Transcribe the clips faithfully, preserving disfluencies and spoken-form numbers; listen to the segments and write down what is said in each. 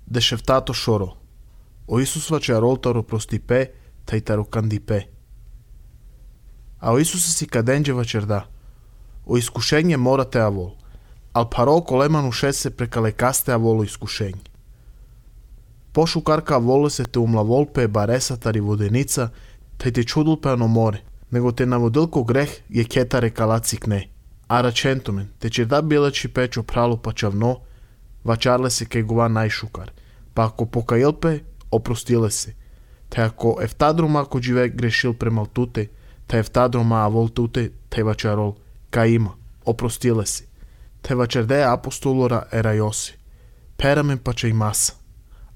дешевтато шоро. O Isus face roltaro prostipe, taitaro candipe. A o Isus si cadenđe vačerda. O iskušenje morate avol. Al paro kolemanu šese preka lekaste avolo iskušenje. Pošu karka avolo se te umla volpe baresa tari vodenica, taj te čudulpe ano more, nego te navodilko greh je ketare kalacik ne. A račentomen, te čerda bileči pečo pralu pa čavno, vačarle se kaj gova najšukar, pa ako pokajilpe, oprostile se. Te ako eftadroma ako žive grešil premal tute, te eftadroma avol tute, te vačarol, kaj ima, oprostile se. Te vačerde apostolora era Josi. Peramen pa će i masa.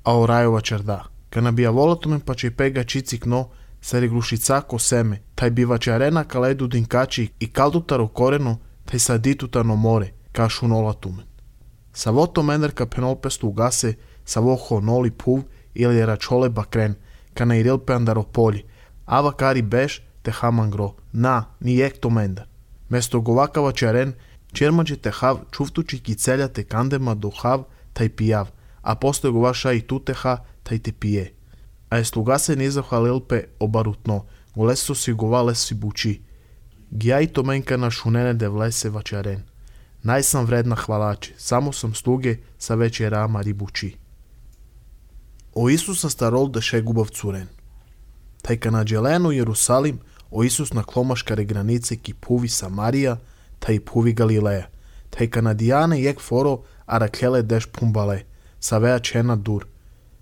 A orajo vačerda. Kana bi avolatomen pa će i pega čicik no, sa reglušicako seme, taj bi vačarena kaledu dinkači i kaldutaro koreno, taj sa ditutano more, kašu nolatumen. Sa voto menerka penolpestu ugase, sa voho noli puv ili račole bakren, kana i rilpe andaro polji, ava kari beš te hamangro, na, ni jek to mendar. Mesto govaka vačaren, čermađe te hav čuftuči kicelja te kandema do hav taj pijav, a postoje govaša i tuteha taj te pije. A je sluga se nizahvalilpe obarutno, goleso si govale si buči. Gija i to menka na šunene de vlese vačaren. Najsam vredna hvalači, samo sam sluge sa večerama ribuči. O Isusa starol da šegubav curen. Taj ka na dželenu Jerusalim, o Isus na klomaškare granice ki puvi Samarija, taj puvi Galileja. Taj ka na dijane jek foro arakele deš pumbale, sa vea čena dur.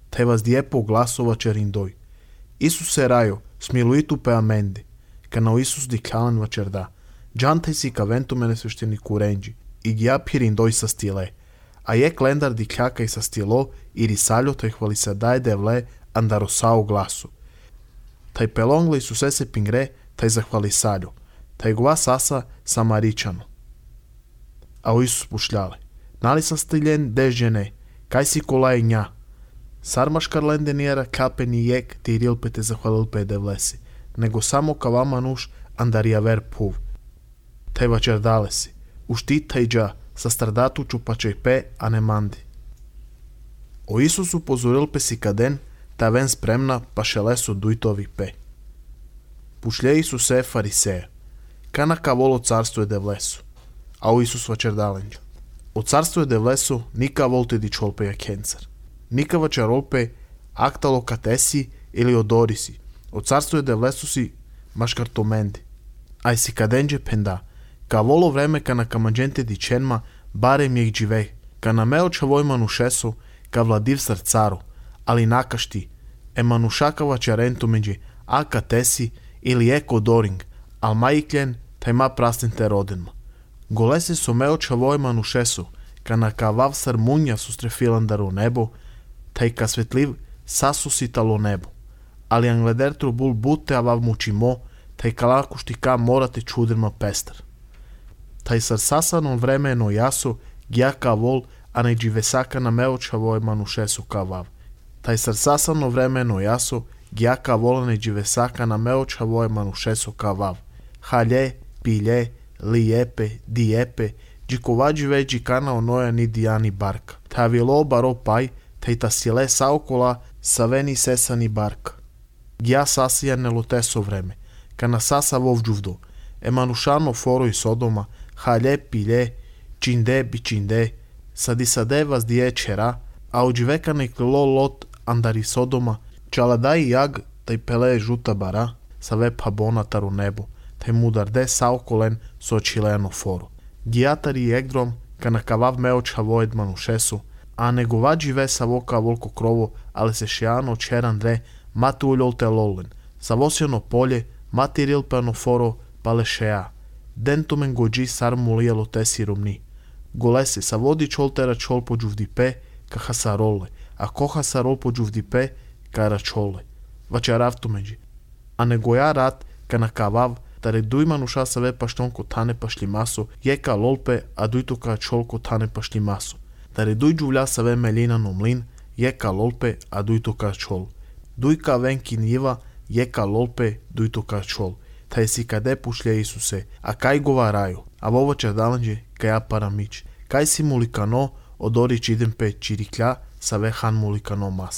Taj vas dijepo glasova čerindoj. Isus se rajo, smiluitu pe amende, ka na o Isus diklalan vačerda. Džantaj si ka ventu mene svešteniku renđi, i gija pirindoj sa stile. A jek lendar dikljaka i sa stilo, i risaljo taj hvali se daje devle andarosao glasu. Taj pelongle i susese pingre, taj zahvali saljo. Taj gova sasa samaričano. A o Isus pušljale. Nali sa stiljen dežene, kaj si kolaj nja. Sarmaškar lende nijera kape ni jek ti rilpe te zahvalilpe devlesi, nego samo ka vama nuš andarija ver puv. Taj vačerdale si. Uštit taj dža, sa stradatu čupačaj pe, a ne mandi. O Isusu pozorilpe si kaden, ta ven spremna pa šelesu dujtovi pe. Pušlje Isuse fariseja. Kana ka volo carstvo je devlesu. A o Isus vačerdalenđu. O carstvo je devlesu nika volte di čolpe ja kencar. Nika vačarolpe aktalo katesi ili odorisi. O carstvo je devlesu si maškar tomendi. Aj si kadenđe penda. Ka volo vreme ka na kamanđente di čenma barem jeh džive. Ka na meo čavojmanu šesu ka vladiv srcaru. Ali nakašti. E manušaka vačarentu međe a katesi ili eko doring. Al majikljen taj ma prastin te rodenma. Golese so meo čavojmanu šesu. Ka na ka vav sarmunja sustrefilandaru nebo. Taj ka svetliv sasusitalo nebo. Ali angledertru bul bute avav mučimo. Taj ka lakušti ka morate čudirma pestar. Taj sar sasanom vremeno jaso gja ka vol, a ne dživesaka na meo čavojmanu šesu ka vav. Taj sar sasano vremeno jaso gja ka vol, a ne dživesaka na meo čavojmanu šesu ka vav. Halje, pilje, lijepe, dijepe, džikovađi veđi kana onoja ni dijani barka. Ta vilo baro paj, taj ta sile saokola saveni sesani barka. Gja sasija ne loteso vreme, kana sasa vovđuvdo, emanušano foro i sodoma, halje, pilje, činde, bičinde, sadisade vas dije čera, a uđiveka neklilo lot andari sodoma, čaladaj jag, taj pele žuta bara, sa ve pabona taru nebo, taj mudarde saokolen so čileno foro. Gijatari egdrom, kana kavav meo čavojed manušesu, a negovađi ve sa voka volko krovo, ale se šijano čerandre, mati uljol te lolen, sa vosjeno polje, mati rilpano foro, pale šeja. Dentumen gođi sar mulijelo te siromni. Golese sa vodi čoltera čol po džuvdipe, ka hasarole, a ko hasarol po džuvdipe, ka račole. Vačarav međi. A negoja rat, ka na kavav, tare dujmanu šasa ve paštonko tane pašli maso, je ka lolpe, a dujto ka čolko tane pašli maso. Tare duj džuvlja sa ve melina no mlin, je ka lolpe, a dujto ka čol. Duj ka venki njiva, je ka lolpe, dujto ka čol. Taj si kade pušlje Isuse, a kaj govaraju, a vovo čerdalanđe, kaj aparamić, kaj si mulikano, odorić idem pe čiriklja, sa ve хан мулика no mas.